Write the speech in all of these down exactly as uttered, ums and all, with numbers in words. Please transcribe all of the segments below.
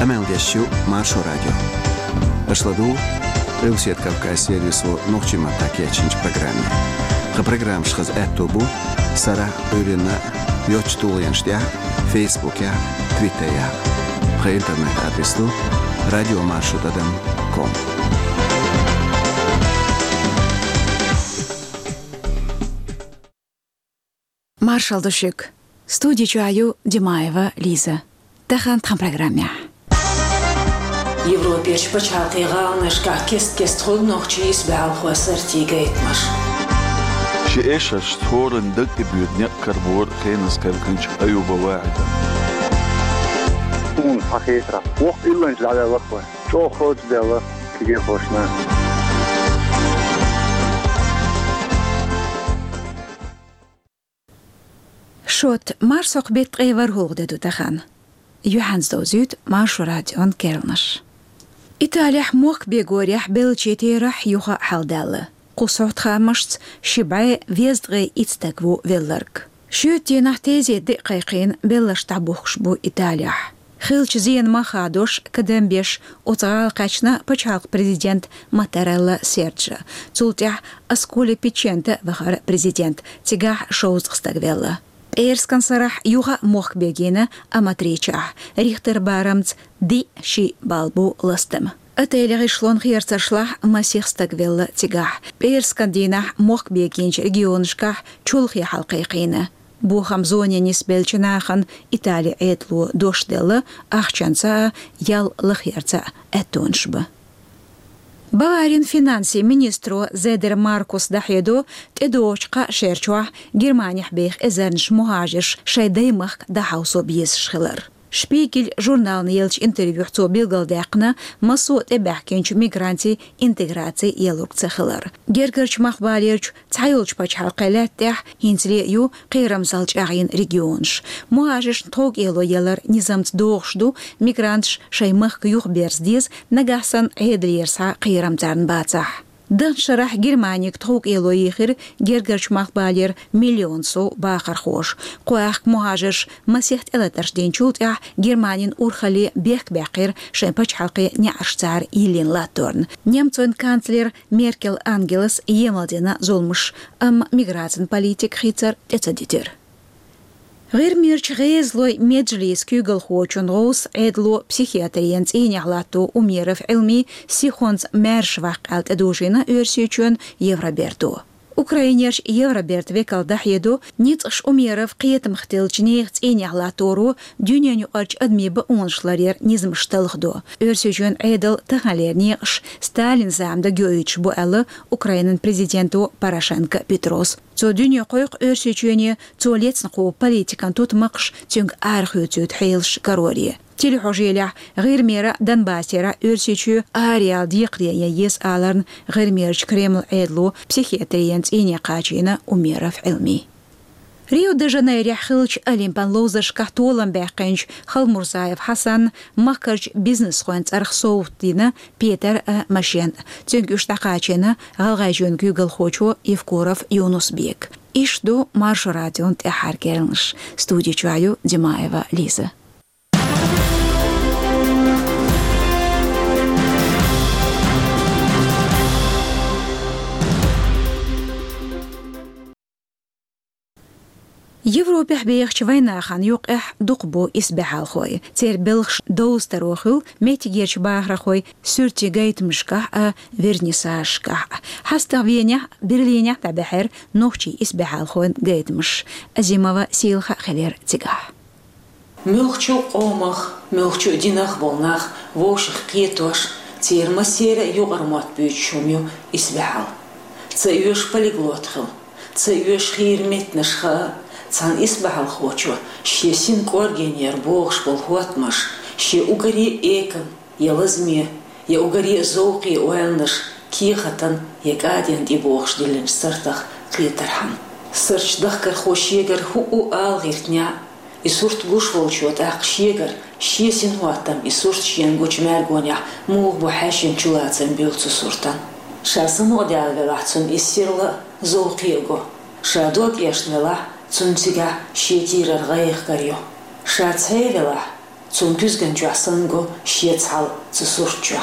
Къамел деш ю Маршо радио. Аша ладугӀу Къилбаседа Кавказан сервисо нохчийн маттахь кечйинчу программе. Тхан программаш хаза аьтто бу сарахь а, Ӏуьйранна а йоцчу тулгӀенаш тӀехь а, Фейсбукехь а, Твиттерехь а. Тхан интернет-адрес ду радиомаршо тӀадам ком. Маршалла ду шуьга. Студи чохь ю Димаева Лиза. Тахана тхан программехь. Европерчу пачхьалкхийн гӀаланашкахь кест-кеста хуьлу нохчийн исбаьхьалхойн сартийн гайтамаш. Ши эшарш цхьана дан тӀебоьду некъ карабора Хенас кхелхинчу Аюба Вахьида. Суна схьахетарехь, воккха илланча дӀаваьлла вай. ЧӀогӀа хӀоьттина даьлла кегийрхошна. Шот, марсхьокху беттан ткъе ворхӀалгӀа де ду тахана. Юьхьанца довзуьйту Маршо радион керланаш. Италехь мохк бегорехь беллачийн терахь юха а хьаладаьлла. Кху сохьтахаамашца ши бӀе везткъе итт стаг ву велларг. Шоьтан дийнахь тезета де а кхайкхийна, белларш дӀабухкуш бу Италехь. Хиллачу зенан мах хадош, кадам беш, оцу гӀала кхаьчна пачхьалкхан президент Маттарелла Серджо. Цул тӀаьхьа Асколи Пичченто вахара президент, цигахь шовзткъа стаг велла. ПӀераскан сарахь юха а мохк бегийна Аматричехь, Рихтер барамца диъ шиъ балл бу ластам. Отелан гӀишлон херцаршлахь масех стаг велла цигахь. ПӀераскан дийнахь мохк бегийначу регионашкахь чолхе хьал кхайкхийна. Бохаман зоне нисбеллачу нахана Италин Ӏедало дош делла, ахчанца а, ял лахарца а аьттонаш бан. Баварин финансийн министро Зедер Маркуса дӀахьедо тӀедогӀучу кхаа шерачохь Германехь беха эзарнаш мухӀажарш шайн даймахка дӀахьовсо безаш хилар. Шпигель журнална еллачу интервьюхь цо билгалдаьккхина массо а тӀебаьхкинчу мигрантийн интеграци ялург ца хилар. Гергарчу махбалерчу цхьайолчу пачхьалкхийн лаьтта тӀехь хӀинцале а ю кхерамзалла чӀагӀйина регионаш. МухӀажаршна тховкӀело ялар низамца догӀуш ду, мигранташ шайн махка юхаберза деза, нагахь санна Ӏедалера схьа кхерам царна бацахь. Даханчу шарахь Германига тховкӀело йийхира гергарчу махбалера миллион сов бахархоша. Кху аьхка мухӀажарш масех тӀелатарш динчул тӀаьхьа Германин урхалле бехк баьккхира шайн пачхьалкхийн неӀарш цара йиллина латторна. Немцойн канцлера Меркел Ангелас емал дина зуламаш, амма миграцин политика хийцар тӀе ца дитира. ГӀирмерчу ГӀезалойн меджлисан куьйгалхочун гӀовс Ӏедало психиатрин цӀийнехь латто Умеров Ӏилми сихонца маьрша ваккха аьлла тӀедожийна Оьрсийчоьнан Евроберто. Украинерчу Евробертан векал дӀахьедо, ницкъаша Умеров кхетамах теллачу нехан цӀийнехь латторо дуьненаюкъарчу адамийн бакъонаш ларъяран низамаш талхадо. Оьрсийчоьнан Ӏедалан таханлера некъаш Сталинан зама дагайоуьйтуш бу аьлла Украинан президенто Порошенко Петрос. Цо дуьне кхойкху Оьрсийчоьне цо лецна кху политикан тутмакхаш, цуьнга арахоьцуьйту хьелаш кароре. Телехьожийлехь ГӀирмера, Донбассера Оьрсийчоь араяла декхаре ян еза аларна ГӀирмерчу Кремлан Ӏедало психиатрин цӀийне кхачийна Умеров Ӏилми. Рио-де-Жанейрехь хиллачу Олимпан ловзаршкахь толам баьккхинчу Халмурзаев Хьасанна махкарчу бизнесхойн цӀарах совгӀат дина Петар а, машен а. Цуьнга уьш дӀакхачийна ГӀалгӀайчоьнан куьйгалхочо Евкуров Юнус-Бека. Иштта ду Маршо радион тӀаьххьара керланаш. Студи чохь ю Димаева Лиза. Европехь бехачу вайнахана юккъехь дукха бу исбаьхьалхой. Церан белхаш довзатаро хуьлу меттигерчу бахархойн суьртийн гайтамашкахь а, вернисажашкахь а. ХьастагӀа Венехь а, Берлинехь а дӀабаьхьира нохчийн исбаьхьалхойн гайтамаш. Азимова Сийлаха а хилира цигахь. Муьлххачу а къомах, муьлххачу а динах болу нах вовшах кхетош, церан массеран а юкъара мотт буьйцуш хӀума ю исбаьхьалла. Ца оьшу полиглот хила, ца оьшу хийра меттанаш хаа, цхьана исбаьхьалхочо шен синан кӀоргенера богӀуш болу хӀоттамаш, шен уггаре а экан, я лазаме, я уггаре а зовкхе ойланаш кехатан я кӀадин тӀе бохуш диллинчу сартах кхетархьама. Сартан дахкархо шегара хӀуъу ала гӀиртинехь, и сурт гуш волчо тӀаккха шегара шен синхӀоттам и сурт шена гучу мергонехь муха бу хьаьшшина чулацам буьллу цу суртан. Ша самукъадаьлла велахь, цунна иза сирла а, зовкхе а го. Ша дог эшна велахь, цунна цигахь шен кийрара гӀайгӀа карайо. Ша цхьа велахь, Цун куьзган чохь санна го шеца хьал цу сурт чохь.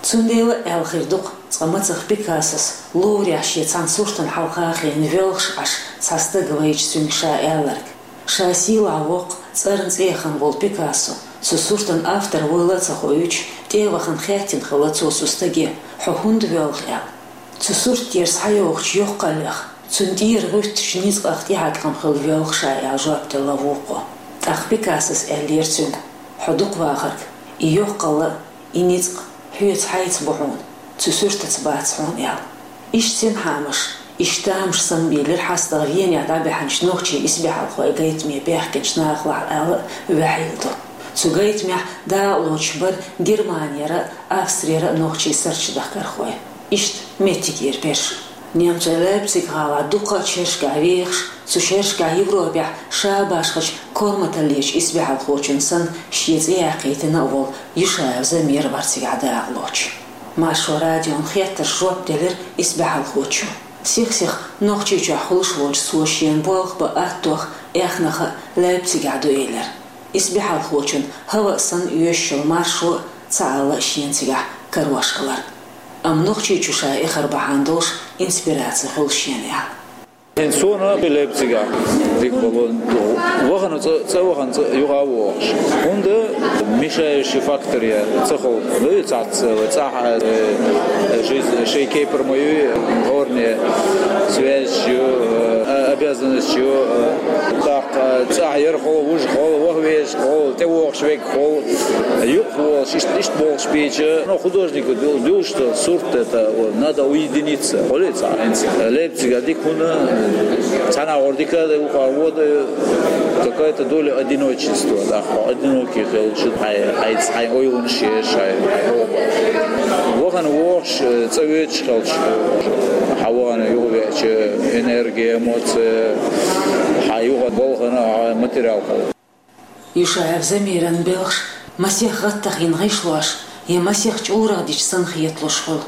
Цундела а аьлла хир ду-кх, цкъа мацах Пикассос ловрехь шен цхьана суртана хьалха а хиъна воьлхуш Ӏаш цхьа стаг вайча цуьнга ша аьлларг. Ша сийлахь воккха, цӀарна цӀе яхана волу Пикассо, цу суртан автор вуйла а ца хоуьйтуш, тӀе а вахана хаьттина хилла цо цу стаге: «Хьо хӀунда воьлху?» — аьлла. «Цу сурт тӀера схьайогӀучу йоккхаллех, цуьнан тӀера гӀуьттучу ницкъах тӀехьаькхна хилла воьлху ша», — аьлла жоп делла вукхо. ТӀаккха Пикассос аьллера цуьнга: «Хьо дукха вахарг, и йоккхалла а, и ницкъ хьоьца хьайца бу хьуна, цу суртаца бац хьуна», — аьлла. Иштта синхьамаш, иштта тамаш санна бийлира хьастагӀа Венехь дӀабаьхьначу нохчийн исбаьхьалхойн гайтаме баьхкинчу нахалахь аьлла а ваьхьийла ду. Цу гайтамехь дакъалоцуш бара Германера а, Австрера а нохчий сурташ дахкархой. Иштта меттигера берш. Немцойн Лейпциг-гӀалахь дуккха а шерашкахь вехаш, цу шерашкахь Европехь ша башхачу корматаллечу исбаьхьалхочунна санна шен цӀе яьккхийтина а волу Юшаев Замир вара цигахь дакъалоцуш. Маршо радион хеттаршна жоп делира исбаьхьалхочо. Сих-сиха Нохчийчохь хуьлуш волчу цо шена болх бан аттох а, эхнах а Лейпцигехь ду элира. Исбаьхьалхочун хӀаваъ санна оьшуш йолу маршо а ца Ӏалла шена цигахь карош хиларна. Амма Нохчийчу ша эхар бахьана долуш инспираци хуьлу шена аьлла. ХӀинца суна Лейпцигехь дика бало, вахана цӀа, цӀа вахана цӀа юха а вогӀуш. ХӀунда мешающий фактор я ца хуьлу. Ну, и цхьацца, цӀахь, э, жизнь, шайн кепара ма ю, хӀоранна связь ю, э, обязанность ю, э, тӀаккха цӀахь яра хьо, вужа хьо, ваха веза хьо, тӀевогӀуш верг хьо, юкъа волуш, иштта, иштта болуш бийча, ну, художнико ду-, дуьллуш ду сурт, это, вот, надо уединиться. Хьо ле цхьа хӀинца Лейпцига дика хӀуна, цхьана агӀор дика а дай, вукхара вон а дай, какая-то доля одиночества, да, хьо одинокий хилча, хьайн, хьайн, хьайн ойланаш еш, хьайн, хьайн оба. Вахана вогӀуш, цӀа воьдуш хилча, хьан вахана юхавеача, энергия, эмоция, хьан юха балхана, хьан материал хьо. Юшаев Замиран белхаш масех гӀаттах йина гӀишлош я масех чӀурах дича санна хеталуш хуьлу.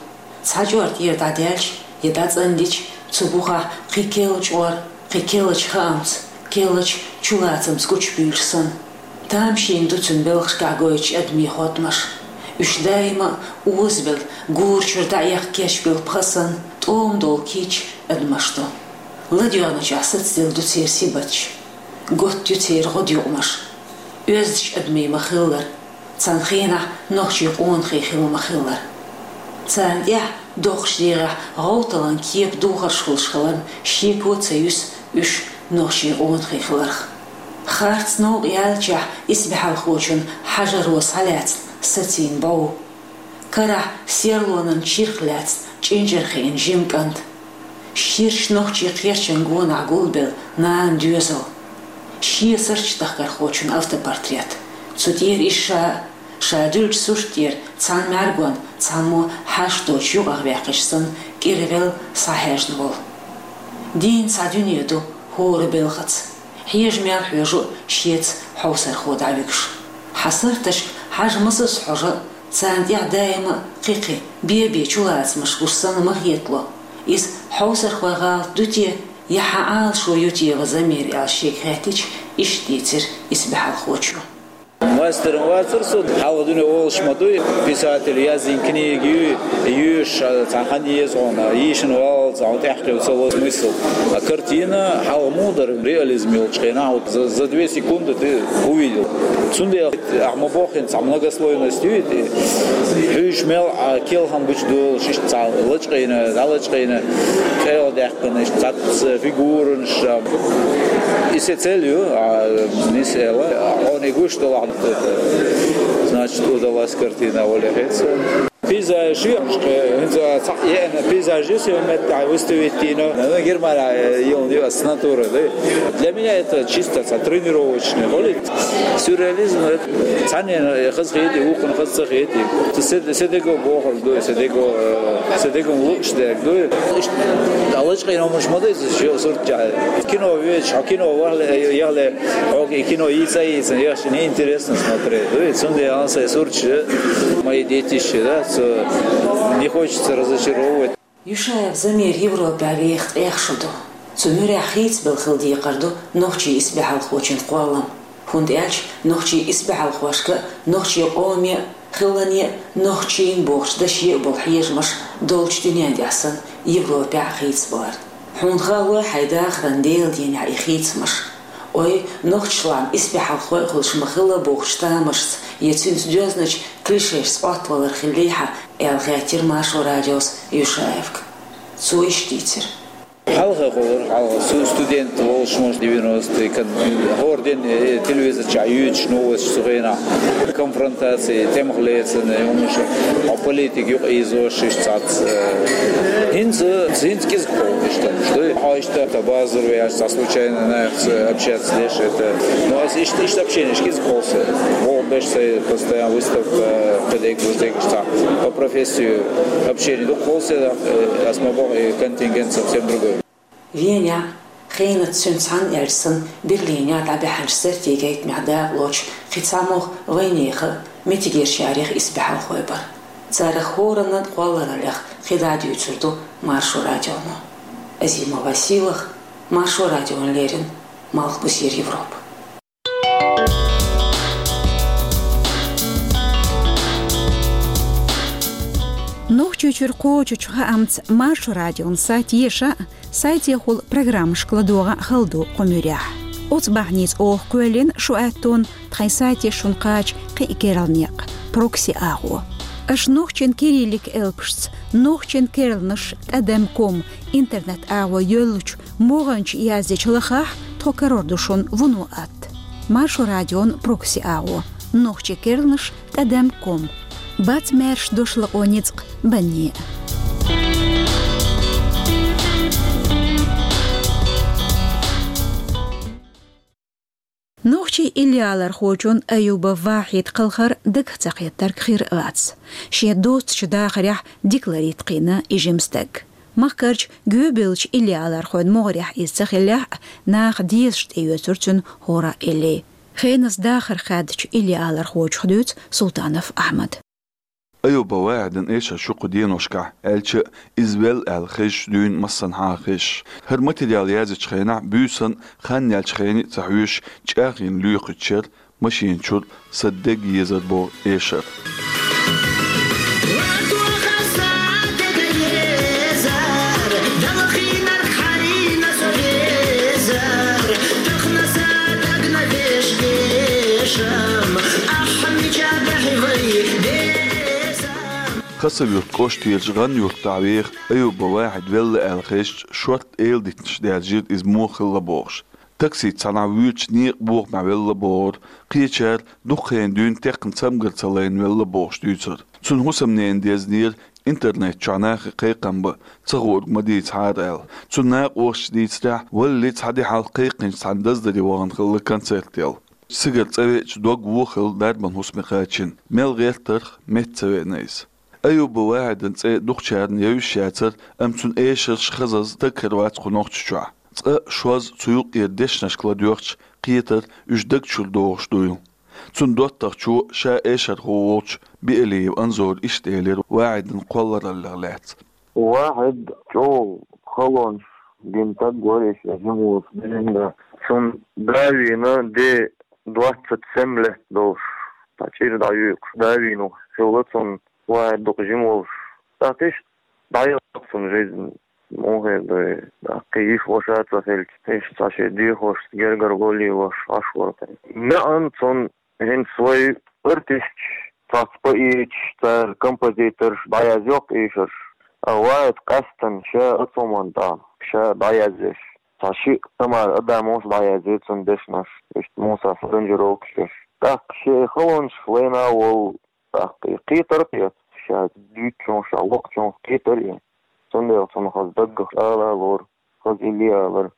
Цхьа чӀор тӀера дӀадаьлча я дӀацӀандича, цу бухахь кхин керла чӀор, кхин керлачу хаамца, керлачу чулацамца гучубуьйлуш санна. Тамашийна ду цуьнан белхашкахь гойтучу адамийн хоттамаш. Уьш даима а озабелла, гора чуьра дӀаэхка кечбелла пха санна, тӀома долу кийча адамаш ду. ЛадоьгӀначохь сацаделла ду церан сибаташ. Готта ю церан гӀодаюкъамаш. Оьздачу адамийн ма-хиллара, царна хенахь нохчийн къонахий хилла ма-хиллара. Царна тӀехь доккхачу дегӀехь гӀовталан кепа духарш хуьлуш хиларна, шеко а ца юьсу уьш нохчийн къонахий хиларх. Харц новкъа яьллачохь исбаьхьалхочун хьажаро схьалаьцна сацийна бӀов. Карахь серлонан чирх лаьцна чӀинчӀара хиъна жима кӀант. Ширачу нохчийн кхерчан гонахь гулбелла нана доьзал. Шен сурт дахкархочун автопортрет. Цу тӀера иза ша, ша дуьллучу сурт тӀера цхьана мӀаьргонна цхьаммо хьашт доцуш юкъахваьккхича санна, кӀира велла схьахьаьжна волу. Дийна цхьа дуьне ду хӀора белхаца. Хьежа мел хьоьжу шеца хьовсархо дӀавуьгуш. Хьан сурташка хьажа масазза хьожа, царна тӀехь даима а кхин-кхин бен-бен чулацамаш гуш санна ма хетало. Иза хьовсархойн гӀалат ду те, я хьан Ӏалашо ю те, ва Замир, аьлла шега хаьттича, иштта дийцира исбаьхьалхочо. Мастеран вацара со, хьалха дуьне олуш ма дуй, писатель, язйина книга юй, йоьшуш, а, цхьа хан еза хьуна, йийшина валлалц хьуна тӀаьхьа кхин ца ло смысл. А картина хьалха муха дара, реализм йолчу хенахь, вот за, за две секунды ты увидел. Цундела ахьа ма боххина цхьа многослойность юй, и хьуьйш мел, а, келхам гучу долуш, иштта цхьа лачкъийна, дӀалачкъийна, къайла даьккхина, иштта цхьацца фигуранаш, а, и се цель ю, а, нис эла, а, хьуна и гуш долахь, значит, удалась картина, вале хеца. Пейзаж ю, хӀинца цхьаъ еана пейзаж ю, се меттахь выставить дина. Ну, Германия, э, йолу ю ас натура, да? Для меня это чисто ца тренировочный, хӀунда сюрреализм, это цхьаннена хаза хети, вукхун хаза ца хети. Се-, Седого бохург ду, Седого, э, Седого лууш дерг ду. Иштта лачкъийна хӀуманаш ма ду иза, шо сурт чохь. Кино везаш, хьо кино вахле, яхле, хьоьга и кино йийца а йийцина, яхаш неинтересно смотреть. Ой, цундела сайн сурташ, мои детище, да, цо не хочется разочаровывать. Юшаев Замир Европехь веха ткъех шо ду. Цу муьрехь хийцабелла хила декхар ду нохчийн исбаьхьалхочун кхоллам. ХӀунда аьлча нохчийн исбаьхьалхошка а, нохчийн къоме а, хиллане а, нохчийн бохучу даше а болу хьежамаш долчу дуьнен тӀехь санна Европехь а хийцабалар. Хьуна хаало хьайн дахаран Делан дийнахь и хийцамаш? Ой, нохчашлахь исбаьхьалхой а хуьлуш ма хилла бохучу тамашца я цуьнца доьзначу клишешца Ӏоттавалар хиллий хьан, аьлла хаьттира Маршо радиос Юшаевга. Цо иштта дийцира. Хьалха гӀолара, хьалха сту-, студент волуш, может, девяностые, кан-, хӀора ден, э, телевизор чохь юьйцуш новосташ цу хенахь, конфронтации, тӀемах лецана, и хӀумаш, а политика юкъа ийзош, иштта цхьацца, э, хӀинца, хӀинца кӀезиг кхоллуш ду. Хьо иштта, та базар веш, цхьа случайно нахаца общаться деш, это, ну, ас иштта, иштта общенеш кӀезиг кхоллу сан. ВогӀу беш сайн постоянно выставка, кхидерг, вуждерг, цхьа по профессии общение ду кхоллу сан, э, ас ма боху, и контингент совсем другой. Венехь, хенахь цуьнца цхьаьна аьлча санна, Берлинехь дӀабаьхьначу сертийн гайтамехь дакъалоцуш кхин цхьамогӀа вайнехан а, меттигерчарех а исбаьхьалхой бара. Царах хӀоранна а кхоллараллех кхидӀа а дуьйцур ду Маршо радионо. Азимова Сийлаха, Маршо радиона леррина, Малхбузера Европа. Нохчийчуьра кхочучу хаамца Маршо радион сайт еша а, сайтехула программашка ладогӀа а хала ду кху муьрехь. Оцу бахьаница оха кхоьллина шун аьттонна тхайн сайте шуна кхача кхин а керла некъ, прокси агӀо. Аша нохчийн кириллик элпашца, нохчийн керланаш тӀадам ком интернет агӀо йоьллучу могӀанчу яздечу лахахь, тхо карор ду шуна вуно атта. Маршо радион прокси агӀо, нохчийн керланаш тӀадам ком. Бац маьрша дош лакъо ницкъ банне а. Нохчийн иллиалархочун Аюба Вахьида кхалхар дагах ца кхеттарг хир а вац. Шен доцучу дахарехь дика ларийта кхиъна и жима стаг. Махкарчу гӀоьбиллачу иллиалархойн могӀарехь иза ца хиллехь а, наха дезаш тӀеоьцура цуьнан хӀора а элли. Хеназа дахар хаьддачу иллиалархочух дуьйцу Султанов Ахьмада. Аюба Вахьидан эшар шу кху деношкахь, аьлча а, иза велла аьлла хезча дуьйна массанхьа а хезаш. ХӀара материал язйечу хенахь буьйсанна, хан яьллачу хене а ца хьоьжуш, чӀагӀйина лоьхучу шеран машина чуьра сан дег езар боху эшар. Хасавюрт кӀоштарчу ГӀан-Юртахь веха Аюба Вахьид велла аьлла хезча, шортта эладитанаш даьржира иза муха хилла бохуш. Таксица цхьанхьа вуьйцучу некъан бохамехь велла бохура, кхечара дукха хенахь дуьйна текхна цамгар ца лайна велла бохуш дуьйцура. Цуьнан хӀусамненан дезнера интернет чохь нахе кхайкхам бан, ца хуург ма дийцахьара аьлла. Цуьнан накъосташа дийцарехь, валлалц цхьа де хьалха кхайкхинчу цхьана даздаре вахана хилла концерт яла. Цигара цӀа веача дог вон хилла дарбан хӀусаме кхачийна. Мел гӀертарх метта ца веана иза. Аюба Вахьидан цӀе дукхачарна евзаш яцара, амма цуьнан эшарш хазаза стаг хир вац кху Нохчийчохь. Цкъа шозза цу юкъера дешнашка ладоьгӀча, кхетар уьш даг чуьра догӀуш дуйла. Цуьнан доттагӀчо, ша эшархо волчу Биалиев Анзора иштта элира Вахьидан кхоллараллех лаьцна. Вахьид чӀогӀа халонаш гина стаг вара, иштта жима волуш динан. Цуьнан да вийна, де двадцать семь лет долуш, цхьа чӀир дӀаюьйкъуш да вийна хилла цуьнан. Вахьид дукха жима волуш. ТӀаккха иштта дӀаяьлла цуьнан жизнь. Муха хир ду, тӀаккха кхин йиша-ваша ца хилча, иштта цхьа шен дехошца гергара гӀоле лош Ӏаш вара. МаьӀна цунна хӀинца вай артисташ, цхьацца поэташ, цара композиторш дӀаязйо-кх эшарш. А Вахьид къаьстина ша оцу хӀуманна тӀехь, ша дӀаязъеш, цхьа шиъ тамара адамаша дӀаязйо цуьнан дешнаш, иштта Муса аранжировкаш еш. ТӀаккха шен халонаш лайна а волу, тӀаккха и кхетар а кхетта, ша дуьйцучунах, ша локхучунах кхетар а. Цундела цунах хаза даггара ала а лора, хаза илли а алара.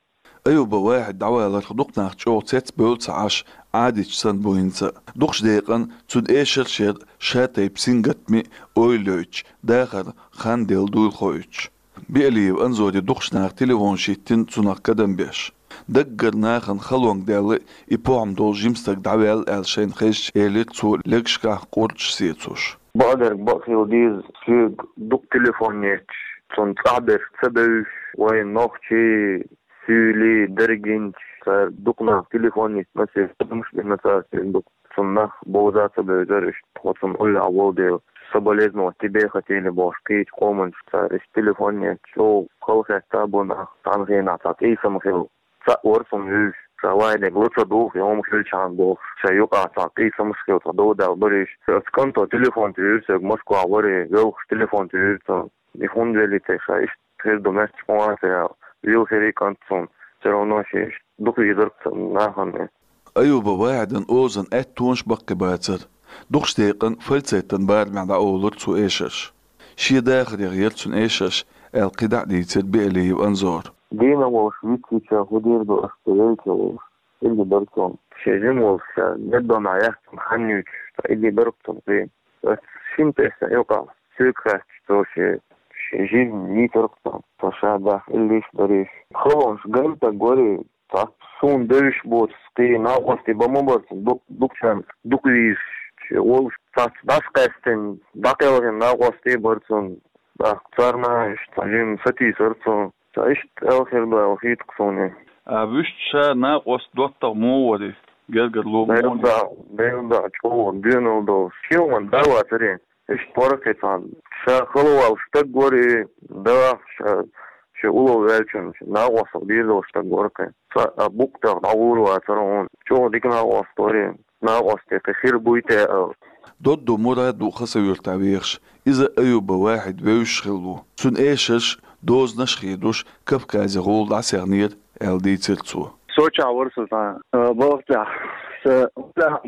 Аюба Вахьид дӀаваларх дукха нах чӀогӀа цецбевлла ца Ӏаш, Ӏадаташ санна бу хӀинца а. Дукхачу декъана цуьнан эшарш яра ша тайпа сингаттаме а ойла йойтуш, дахар хан делла дуйла хоуьйтуш. Биалиев Анзоре дукхачу наха телефонаш йиттина цунах кадам беш. Даггара нахана халонга даьлла и похӀма долу жима стаг дӀаваьлла аьлла шайна хезча, элира цо легашкахь къурдаш сецош. Бакъдерг бакъ хила деза, соьга дукха телефон етташ, цунна цӀахь берш ца бевзаш, вайн нохчий, суьйлий, дерригенчаш, Цара дукха нах телефон йиттина, церан адамаш бина цара, церан дукха. Цунна нах бовза ца бевзар, иштта тхо цунна уллехь волу дела. Соболезновать тебе хотели бохуш, кхечу къоманчу цара иштта телефон йиттина, чӀогӀа халахетта бу нах, цхьана хенахь цхьа тӀе сама хилла. Цхьаъ вара цунна вуьйш, ша вайниг ло ца духу, и хӀума хилчхьана бохуш, шайн юкъахь цхьа къийсамаш хилла, цхьа дов даьлла барийша. Оцу кӀанто телефон тӀе вуьйра соьга, Москвахь вара и, велхаш телефон тӀе вуьйра цунна. И хӀунда велий те, ша иштта хир ду, маьрша къонахий ца яла, вилхира и кӀант цунна. Все равно шен иштта дукха везарг цунна нахана. Аюба Вахьидан озан аьттонаш баккхий бацара. Дукхачу декъан фальцетан барамехь дӀаолура цо эшарш. Шен дахарех яра цуьнан эшарш, аьлла кхидӀа а дийцира Биалиев Анзора. Дийнахь волуш вицвича, хӀун дийр ду аша, ца велча волуш, илли бара цунна. Шен жима волуш, ша детдомехь яхкина хан юьйцуш, цхьа илли бара цунна кхин. Ас шина тесна юкъахь соьга хаьттича, цо шен, шен жима йийцира цунна. Цо ша даха иллиш а дарийша. Халонаш ган стаг вара и, цхьацца суна девзаш боцу кхин накъостий бан ма бара цунна, дукха, дукхачарна дукха везаш, шен волуш цхьацца дӀасакъаьстина, дӀакхелхина накъостий бара цунна. ТӀаккха царна иштта цхьа жимма сатийсара цо. Ца иштта аьлла хир ду аьлла хета-кх суна. А вуьшта ша накъост доттагӀа муха вара иза? Гергарло муха вара? Делла да, делла да, чӀогӀа доьналла долуш. Шен ван да вацара. Иштта вара кхин цхьа. Ша хала волуш стаг вара и, да, ша, шен улло ваьллачунна, шен накъостах дийр долуш стаг вара кхин. Цхьа а букъ тӀехь дӀагӀур вацара хьуна. ЧӀогӀа дика накъост вара и. Накъостий кхин хир буй те аьлла. Додду Мурад ву Хасавюртахь вехаш. Иза Аюба Вахьид вевзаш хилла ву. Цуьнан эшарш, дозанаш а хедуш, Кавказе гӀула дӀасаьхнера, аьлла дийцира цо. Сочахь вара со цхьана, а, балха тӀехь. Сан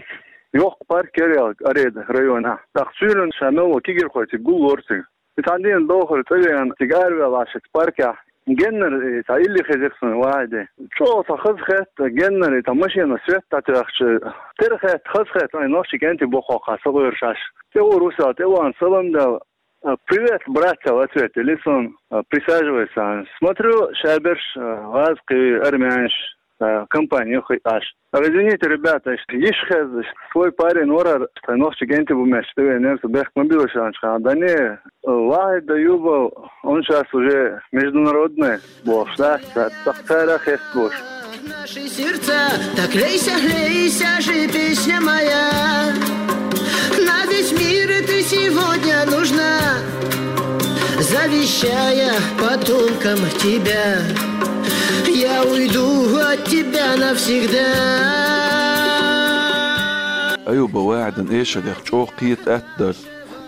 йоккха парк яра ялх Ареда районахь. ТӀаккха суьйранна ша мел волу кегийрхой цига гуллора цига. И цхьана дийнахь дохура цӀа веана, цига араваьлла шеца паркехь. Геннара, и, цхьа илли хезира суна Вахьидан. ЧӀогӀа цхьа хазахетта, геннара, и, цхьа машенан свет дӀатоьхча, тера хетта, хазахетта, ай, нохчийн кӀентий боху хьокха, сан гӀуьйраш Ӏаш. ТӀе вуьйр ву сан, тӀе вахана салам даьлла, а, «Привет, братья», в ответ элира суна, а, «Присаживайся». Смотрю, шаберш, а, гӀазкхий, армянаш, а, компани ю хи Ӏаш. А, извините, ребята, иштта йиш хезна, свой парень вара, тхайн нохчийн кӀентий бу моьттуш тӀевеанера со, бехк ма билла шайна, да не, Вахьид Аюбов, он щас уже международный бохуш, да, цхьа цара хест бохуш. Наши сердца, так лейся, лейся же, песня моя. На весь мир ты сегодня нужна, завещая потомкам тебя. Я уйду от тебя навсегда. Аюба Вахьидан эшарех чӀогӀа кхета атта дара.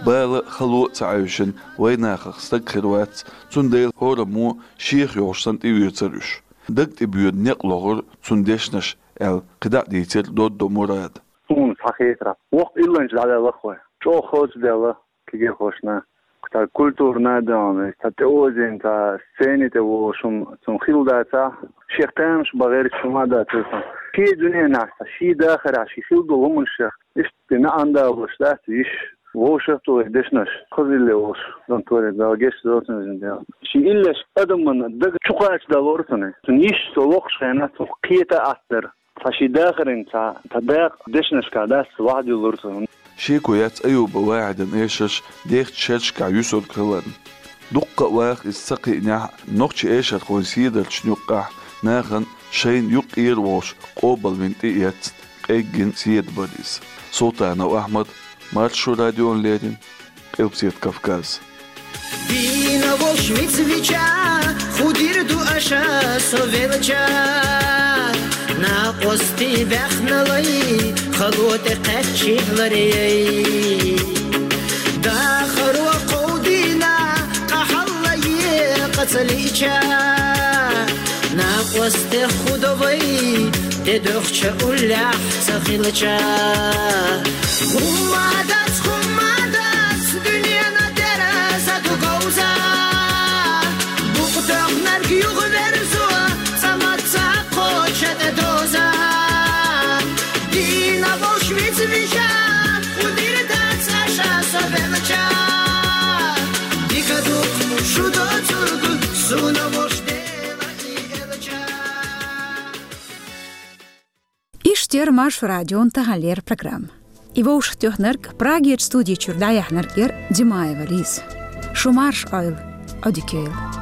Бала, хало а ца Ӏаьвшина, вайнахах стаг хир вац, цундела хӀораммо шех йолуш санна тӀеоьцура уьш. Даг тӀе боьду некъ лохура цуьнан дешнаш, аьлла, кхидӀа а дийцира Додду Мурада. Суна схьахетарехь, воккха илланча дӀаваьлла-кх вай. ЧӀогӀа хаза даьлла кегийрхошна. Цхьа культурна а даьлла, цхьа тӀеозийна, цхьа сцени тӀе волуш хӀума цунна хилла дацахь, шех тамаш бан гӀерташ хӀума а дацара цунна. Шен дуьненахь, цхьа шен дахарехь, шен хилла долу хӀуманех, иштта маьӀна далош дац йиш, вовшахтухуш дешнаш, хаза илле волуш, дон торе Дала гечдойла цунна иза дела. Шен иллеш адаман даг чу кхачадалора цунна. Цунна йиш цо локхучу хенахь, цунах кхета атта дара. Цхьа шен дахаран цхьа, цхьа дакъа дешнашкахь дац, вахьа дуьллура цунна. Шеко яц Аюба Вахьидан эшарш дехачу шерашкахь юьсург хиларна. Дуккха а ваха иза ца кхиънехь, нохчийн эшархойн седарчашна юккъехь нахана шайна юккъера а волуш къобалвина тӀеэцна, къеггина седа бара иза. Султанов Ахьмад, Маршо радиона леррина, Къилбаседа Кавказ. Дийнахь волуш вицвича, хӀун дийр ду аша со велча. Накъостий баьхналой, хало тӀе кхаьччи ларъяй. Дахаро кховдийна, къахьаллае къа ца лиъча. Накъостех хӀун до вай, тӀедохча уллехь ца хилча. ХӀумма дац, хӀумма дац, дуьненан тӀера са ду говза. Букъ тоьхнарг юхаверзо, цӀа маца кхоча тӀе доза. Дийнахь волуш вицвича, хӀун дийр дац аша со велча. Дика ду-кх шу доцург, суна волуш Дела и элча. Иштта яра Маршо радион таханлера программа. И вовшахтоьхнарг, Прагерчу студи чуьра дӀаяьхьнарг яра Димаева Лиза. Шу марша Ӏойла, Ӏодика йойла.